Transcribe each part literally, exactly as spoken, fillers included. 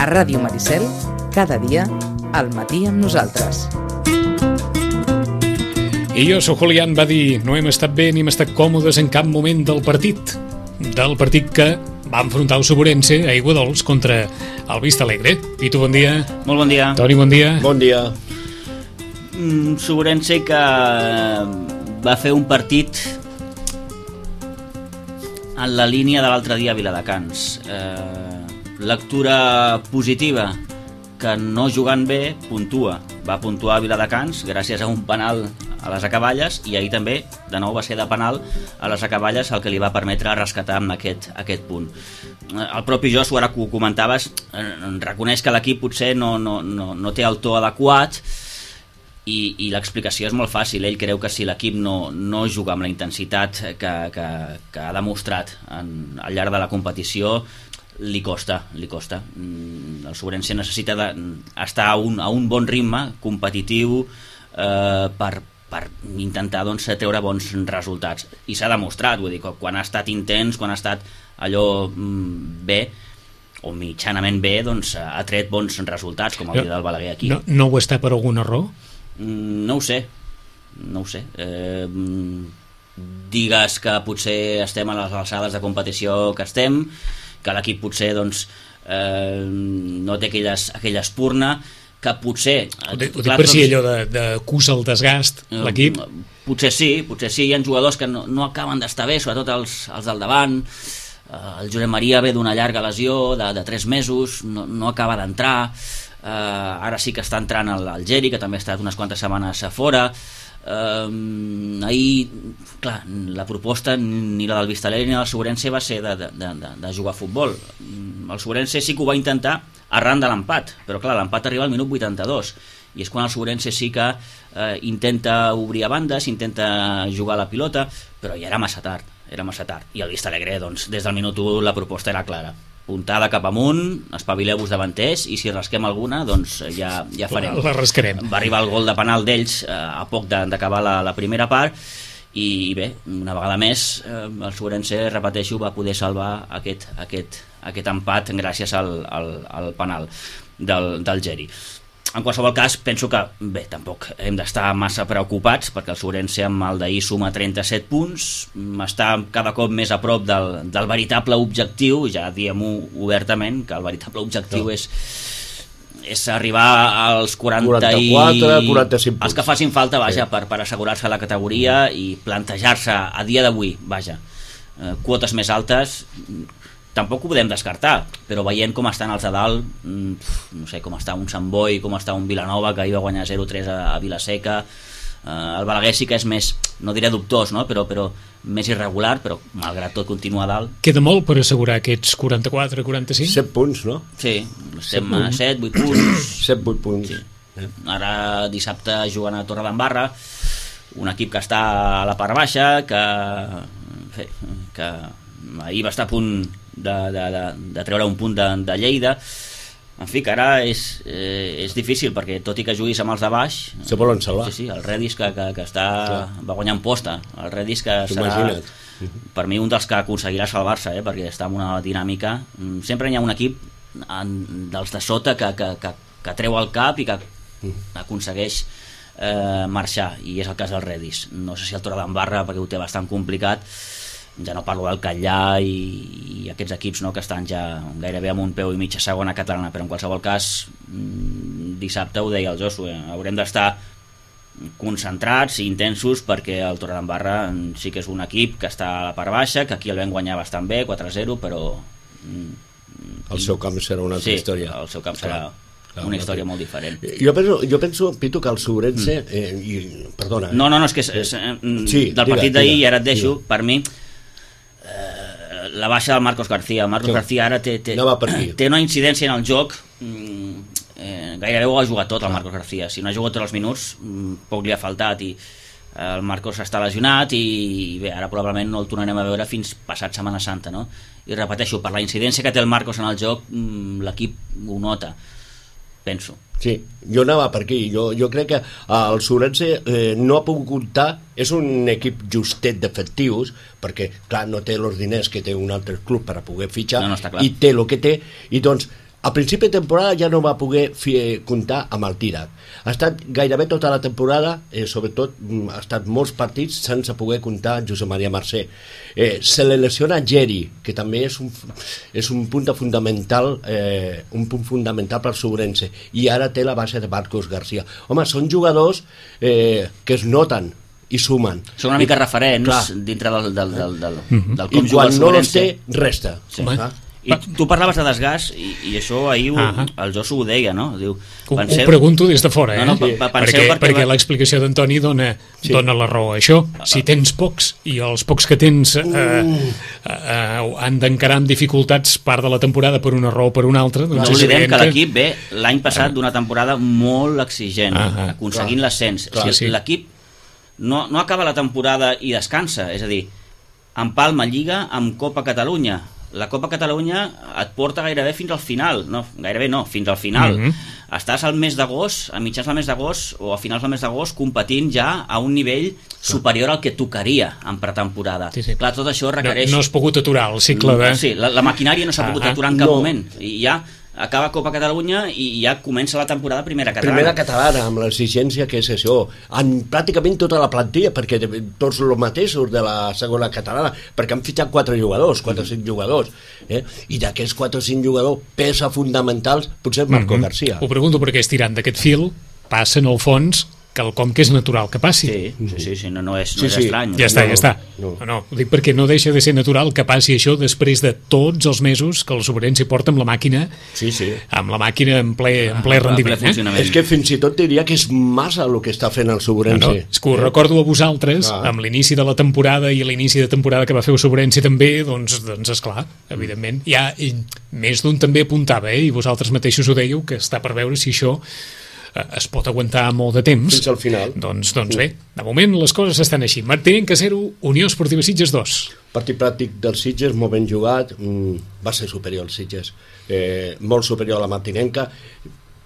Ràdio Maricel, cada dia, al matí amb nosaltres. I jo, sóc Julián, va dir, no hem estat bé ni hem estat còmodes en cap moment del partit. Del partit que va enfrontar el Suburense a Aiguadols contra el Vista Alegre. Pitu, bon dia. Molt bon dia. Toni, bon dia. Bon dia. Mm, Suburense que va fer un partit en la línia de l'altre dia a Viladecans. Eh, lectura positiva, que no jugant bé puntua. Va puntuar a Viladecans gràcies a un penal a les acaballes, i ahir també, de nou, va ser de penal a les acaballes el que li va permetre rescatar amb aquest, aquest punt. El propi Josu, ara que ho comentaves, reconeix que l'equip potser no, no, no, no té el to adequat, i, i l'explicació és molt fàcil. Ell creu que si l'equip no, no juga amb la intensitat que, que, que ha demostrat en, al llarg de la competició, li costa, li costa. El Suburense necessita de, estar a un, a un bon ritme competitiu eh, per, per intentar, doncs, treure bons resultats, i s'ha demostrat. Vull dir, quan ha estat intens, quan ha estat allò bé o mitjanament bé, doncs ha tret bons resultats, com el dia del Balaguer aquí. No, no ho està per algun error? No ho sé, no ho sé. Eh, digues que potser estem a les alçades de competició que estem, que l'equip potser, doncs, eh, no té aquelles, aquella espurna, que potser... Ho dic per si allò de, de cusa el desgast, eh, l'equip? Potser sí, potser sí. Hi ha jugadors que no, no acaben d'estar bé, sobretot els, els del davant. Eh, el Josep Maria ve d'una llarga lesió de, de tres mesos, no, no acaba d'entrar. Eh, ara sí que està entrant el, el Geri, que també ha estat unes quantes setmanes a fora. Uh, ahir, clar, la proposta ni la del Vista Alegre ni la del Suburense va ser de, de, de, de jugar a futbol. El Suburense sí que ho va intentar arran de l'empat, però clar, l'empat arriba al minut vuitanta-dos, i és quan el Suburense sí que uh, intenta obrir a bandes, intenta jugar a la pilota, però ja era massa tard, era massa tard. I el Vista Alegre, doncs, des del minut u la proposta era clara: puntada cap amunt, espavileu-vos davanters, i si rasquem alguna, doncs ja, ja farem. La rascarem. Va arribar el gol de penal d'ells eh, a poc d'acabar la, la primera part, i bé, una vegada més eh, el Suburense, repeteixo, va poder salvar aquest, aquest, aquest empat gràcies al, al, al penal del, del Geri. En qualsevol cas, penso que, bé, tampoc hem d'estar massa preocupats, perquè el Suburense amb el d'ahir suma trenta-set punts, està cada cop més a prop del, del veritable objectiu. Ja diem-ho obertament, que el veritable objectiu no. és, és arribar als quaranta quaranta-quatre, quaranta-cinc punts. Els que facin falta, vaja, sí. per, per assegurar-se la categoria i plantejar-se a dia d'avui, vaja, eh, quotes més altes. Tampoc ho podem descartar, però veient com estan els de dalt, no sé, com està un Sant Boi, com està un Vilanova, que ahir va guanyar zero tres a, a Vilaseca, eh, el Balaguer sí que és més, no diré dubtós, no? però, però més irregular, però malgrat tot continua a dalt. Queda molt per assegurar aquests quaranta-quatre quaranta-cinc? set punts, no? Sí, estem a set vuit punts. set vuit punts. Sí. Eh? Ara dissabte jugant a Torredembarra, un equip que està a la part baixa, que, bé, que ahir va estar a punt De, de, de, de treure un punt de, de Lleida. En fi, que ara és, eh, és difícil, perquè tot i que juguis amb els de baix, se volen salvar. Sí, sí, el Redis que, que, que està, va guanyar en posta, el Redis que serà, per mi, un dels que aconseguirà salvar-se, eh, perquè està en una dinàmica. Sempre hi ha un equip en, dels de sota que, que, que, que treu el cap i que aconsegueix eh, marxar, i és el cas del Redis. No sé si el Torredembarra, perquè ho té bastant complicat, ja no parlo del Catllà i, i aquests equips, no, que estan ja gairebé amb un peu i mig a segona catalana, però en qualsevol cas dissabte, ho deia el Josu, eh, haurem d'estar concentrats i intensos, perquè el Torredembarra sí que és un equip que està a la part baixa, que aquí el vam guanyar bastant bé, quatre a zero, però el seu camp serà una altra sí, història. El seu camp serà Clar, una història molt diferent. Jo penso, jo penso Pitu, que el Suburense eh, i, perdona, eh. no, no, no, és que és, és, sí, del partit d'ahir, i ara et deixo, diga. per mi la baixa del Marcos García. El Marcos sí. García ara té, té, no té una incidència en el joc, eh, gairebé ho ha jugat tot el Marcos García. Si no ha jugat tots els minuts, poc li ha faltat, i el Marcos està lesionat, i bé, ara probablement no el tornarem a veure fins passat Setmana Santa, no? I repeteixo, per la incidència que té el Marcos en el joc, l'equip ho nota, penso. Sí, jo anava per aquí. Jo, jo crec que el Suburense eh, no ha pogut comptar, és un equip justet d'efectius, perquè clar, no té els diners que té un altre club per a poder fitxar, no, no i té el que té, i doncs a principi de temporada ja no va poder fi, comptar amb el Dídac. Ha estat gairebé tota la temporada, eh, sobretot ha estat molts partits sense poder comptar amb Josep Maria Mercè. Eh, se le lesiona Geri, que també és un, és un punt fundamental, eh, un punt fundamental per Sobrense, i ara té la base de Marcos García. Home, són jugadors eh, que es noten i sumen. Són una mica I, referents clar. dintre del, del, del, del, mm-hmm. del com juga el Sobrense. I quan no els té, resta. Sí. I tu parlaves de desgast i, i això ahir uh-huh. el Josu ho deia, no? Diu, penseu... Ho pregunto des de fora, eh? No, no, sí. perquè perquè, perquè va... l'explicació d'Antoni dona, sí. dona la raó a això. Si tens pocs i els pocs que tens eh, uh. eh, han d'encarar amb dificultats part de la temporada per una raó o per una altra, doncs no oblidem que, que l'equip ve l'any passat d'una temporada molt exigent, uh-huh. aconseguint l'ascens. O sigui, sí. L'equip no, no acaba la temporada i descansa, és a dir, empalma Lliga amb Copa Catalunya. La Copa Catalunya et porta gairebé fins al final, no, gairebé no, fins al final. Mm-hmm. Estàs al mes d'agost, a mitjans del mes d'agost o a finals del mes d'agost competint ja a un nivell superior al que tocaria en pretemporada. Sí, sí. Clar, tot això requereix... No, no has pogut aturar el cicle de... Sí, la, la maquinària no s'ha ah, pogut aturar en cap no. moment. I ja acaba Copa Catalunya i ja comença la temporada primera catalana. Primera catalana, amb l'exigència que és això. En pràcticament tota la plantilla, perquè tots els mateixos de la segona catalana, perquè han fitxat quatre jugadors, quatre o cinc jugadors, eh? I d'aquests quatre o cinc jugadors, peça fonamentals, potser Marco mm-hmm. García. Ho pregunto perquè estirant d'aquest fil, passa en el fons quelcom que és natural que passi. Sí, sí, sí no, no és, no sí, és sí. estrany. Ja està, no, ja està. No. No, no, ho dic perquè no deixa de ser natural que passi això després de tots els mesos que el Sobrense porta amb la màquina, sí, sí. amb la màquina en ple, en ple ah, rendiment. Ple eh? És que fins i tot diria que és massa el que està fent el Sobrense. No, no, és que ho eh? recordo a vosaltres, ah. amb l'inici de la temporada i l'inici de temporada que va fer el Sobrense també, doncs, doncs esclar, evidentment. Ja i més d'un també apuntava, eh? I vosaltres mateixos ho dèieu, que està per veure si això es pot aguantar molt de temps. Fins al final. Doncs, doncs bé, de moment les coses estan així. Martinenca zero, Unió Esportiva Sitges dos. Partit pràctic dels Sitges, molt ben jugat, va ser superior als Sitges, eh, molt superior a la Martinenca.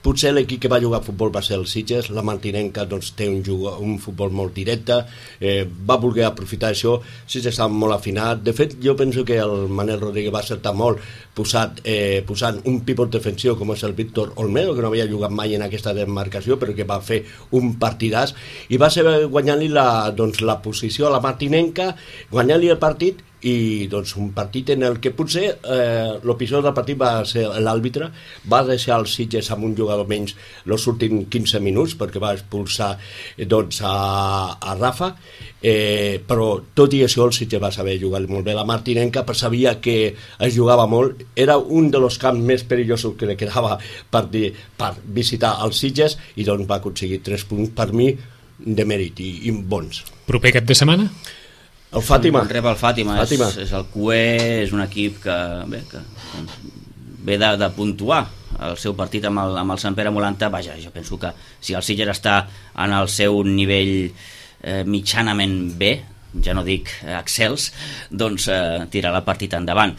Potser l'equip que va jugar a futbol va ser el Sitges, la Martinenca doncs, té un, jugo, un futbol molt directe, eh, va voler aprofitar això, Sitges estava molt afinat. De fet, jo penso que el Manel Rodríguez va acertar molt posat, eh, posant un pivot defensiu com és el Víctor Olmedo, que no havia jugat mai en aquesta demarcació, però que va fer un partidàs, i va ser guanyant-li la, doncs, la posició a la Martinenca, guanyant-li el partit, i doncs un partit en el que potser eh, l'episodi del partit va ser l'àrbitre, va deixar els Sitges amb un jugador menys els últims quinze minuts perquè va expulsar doncs, a, a Rafa, eh, però tot i això el Sitges va saber jugar molt bé. La Martinenca, però sabia que es jugava molt, era un dels camps més perillosos que li quedava per, dir, per visitar els Sitges, i doncs va aconseguir tres punts per mi de mèrit i, i bons. Proper cap de setmana? El Fàtima. El rep el Fàtima, Fàtima. És, és el Q E, és un equip que bé, que ve de, de puntuar el seu partit amb el, amb el Sant Pere Molanta. Vaja, jo penso que si el Sitges està en el seu nivell eh, mitjanament bé, ja no dic eh, excels, doncs eh, tirarà el partit endavant.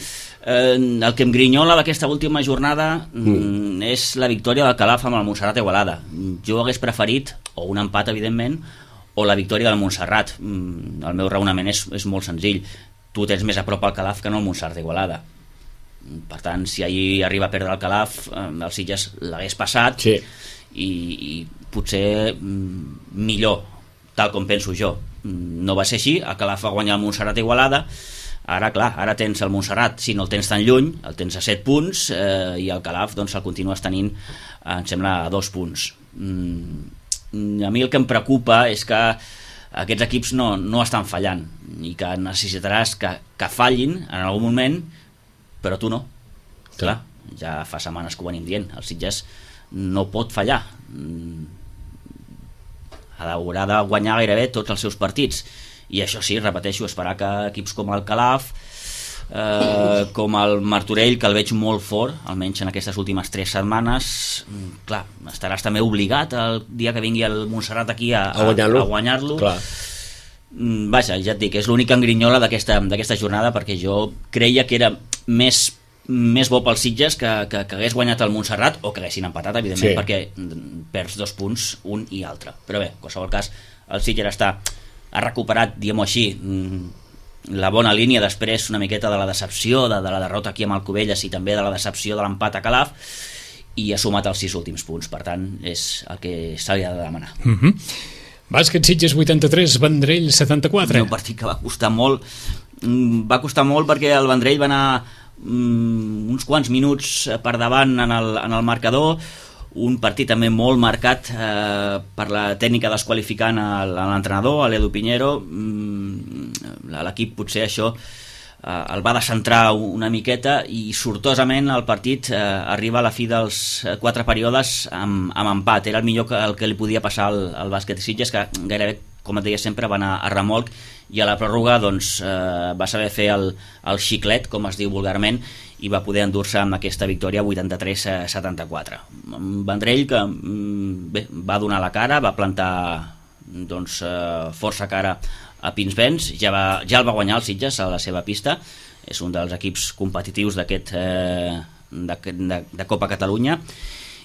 Eh, el que em grinyola d'aquesta última jornada mm. és la victòria del Calaf amb el Montserrat Igualada. Jo hagués preferit, o un empat evidentment, o la victòria del Montserrat. El meu raonament és, és molt senzill. Tu tens més a prop al Calaf que no el Montserrat d'Igualada. Per tant, si ahir arriba a perdre el Calaf, el Sitges l'hagués passat, sí. i, i potser millor, tal com penso jo. No va ser així, el Calaf va guanyar el Montserrat d'Igualada. Ara, clar, ara tens el Montserrat, si no el tens tan lluny, el tens a set punts, eh, i el Calaf doncs, el continues tenint, em sembla, a dos punts. Mm, a mi el que em preocupa és que aquests equips no, no estan fallant i que necessitaràs que, que fallin en algun moment, però tu no. Clar, ja fa setmanes que ho venim dient, el Sitges no pot fallar, haurà de guanyar gairebé tots els seus partits, i això sí, repeteixo, esperar que equips com el Calaf, Eh, com el Martorell, que el veig molt fort, almenys en aquestes últimes tres setmanes, clar, estaràs també obligat el dia que vingui el Montserrat aquí a, a, a guanyar-lo, a guanyar-lo. Vaja, ja et dic, és l'únic engrinyola d'aquesta d'aquesta jornada, perquè jo creia que era més més bo pels Sitges que, que, que hagués guanyat el Montserrat, o que haguessin empatat, evidentment, sí. perquè perds dos punts un i altre, però bé, en qualsevol cas el Sitges està, ha recuperat, diguem-ho així, la bona línia després una miqueta de la decepció de, de la derrota aquí amb el Cubelles i també de la decepció de l'empat a Calaf, i ha sumat els sis últims punts, per tant és el que se li ha de demanar. Mm-hmm. Bàsquet Sitges vuitanta-tres, Vendrell setanta-quatre. Un partit que va costar molt, va costar molt perquè el Vendrell va anar um, uns quants minuts per davant en el, en el marcador, un partit també molt marcat eh, per la tècnica desqualificant a l'entrenador, a l'Edu Piñero. L'equip potser això eh, el va descentrar una miqueta i sortosament el partit eh, arriba a la fi dels quatre períodes amb, amb empat. Era el millor que, el que li podia passar al, al bàsquet Sitges, que gairebé, com et deia sempre, va anar a remolc, i a la pròrroga doncs, eh, va saber fer el, el xiclet, com es diu vulgarment, i va poder endur-se amb aquesta victòria vuitanta-tres a setanta-quatre. Vendrell que bé, va donar la cara, va plantar doncs, eh, força cara a Pinsbens, ja, va, ja el va guanyar el Sitges a la seva pista, és un dels equips competitius d'aquest eh, de, de, de Copa Catalunya,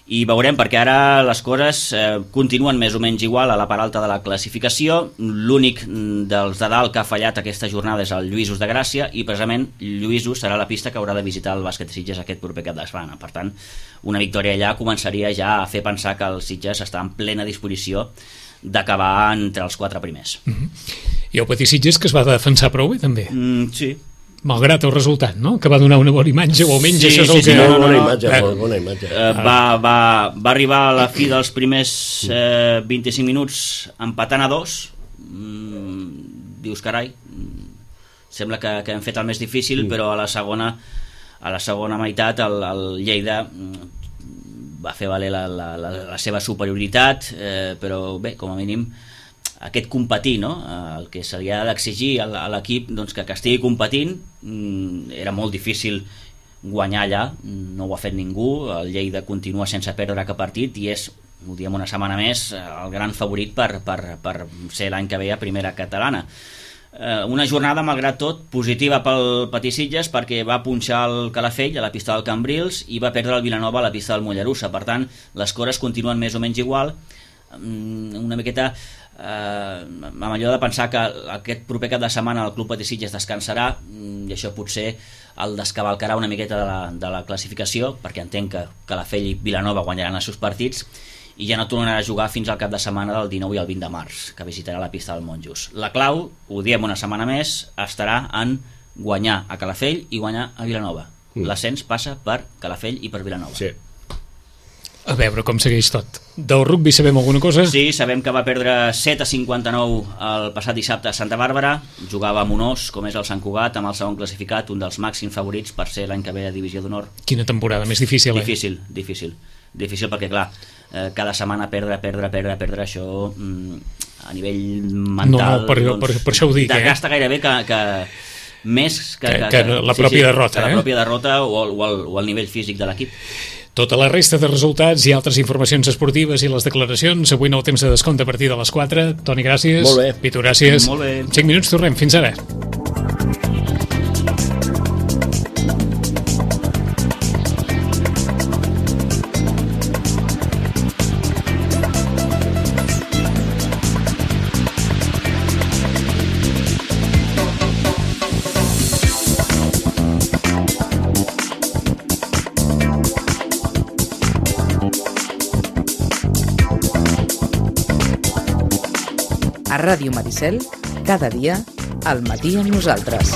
i veurem, perquè ara les coses eh, continuen més o menys igual a la part alta de la classificació. L'únic dels de dalt que ha fallat aquesta jornada és el Lluïsos de Gràcia, i precisament Lluïsos serà la pista que haurà de visitar el bàsquet Sitges aquest proper cap de setmana. Per tant, una victòria allà començaria ja a fer pensar que el Sitges està en plena disposició d'acabar entre els quatre primers. Mm-hmm. I el Petit Sitges, que es va defensar prou bé també. Mm, sí. Malgrat el resultat, no? Que va donar una bona imatge, o almenys sí, això és sí, el sí, que... no, no, bona no, imatge, eh, molt bona imatge. Eh, va, va, va arribar a la fi dels primers eh, vint-i-cinc minuts empatant a dos. Mm, dius, carai, sembla que, que hem fet el més difícil, mm. però a la segona a la segona meitat el, el Lleida va fer valer la, la, la, la seva superioritat, eh, però bé, com a mínim aquest competir, no? El que se li ha d'exigir a l'equip, doncs, que, que estigui competint. Era molt difícil guanyar allà, no ho ha fet ningú. El Lleida continua sense perdre cap partit i és, ho diem una setmana més, el gran favorit per, per, per ser l'any que ve a primera catalana. Una jornada, malgrat tot, positiva pel Petit Sitges, perquè va punxar el Calafell a la pista del Cambrils i va perdre el Vilanova a la pista del Mollerussa. Per tant, les coses continuen més o menys igual. Una miqueta eh, amb allò de pensar que aquest proper cap de setmana el Club Petit Sitges descansarà, i això potser el descavalcarà una miqueta de la, de la classificació, perquè entenc que Calafell i Vilanova guanyaran els seus partits i ja no tornarà a jugar fins al cap de setmana del dinou i el vint de març, que visitarà la pista del Monjos. La clau, ho diem una setmana més, estarà en guanyar a Calafell i guanyar a Vilanova. Mm. L'ascens passa per Calafell i per Vilanova. Sí. A veure com segueix tot. Del rugby sabem alguna cosa? Sí, sabem que va perdre set a cinquanta-nou el passat dissabte a Santa Bàrbara. Jugava amb un os, com és el Sant Cugat, amb el segon classificat, un dels màxims favorits per ser l'any que ve a Divisió d'Honor. Quina temporada més difícil, eh? Difícil, difícil. Difícil perquè, clar, eh, cada setmana perdre, perdre, perdre, perdre, això mm, a nivell mental... No, no, per, doncs, per, per això ho dic, eh? Gasta gairebé que... que més que, que, que, que la pròpia sí, sí, derrota, que eh? la pròpia derrota o el, o, el, o el nivell físic de l'equip. Tota la resta de resultats i altres informacions esportives i les declaracions avui en el temps de descompte a partir de les quatre. Toni, gràcies. Molt bé. Pitu, gràcies. Molt bé. cinc minuts, tornem. Fins ara. A Ràdio Maricel, cada dia, al matí amb nosaltres.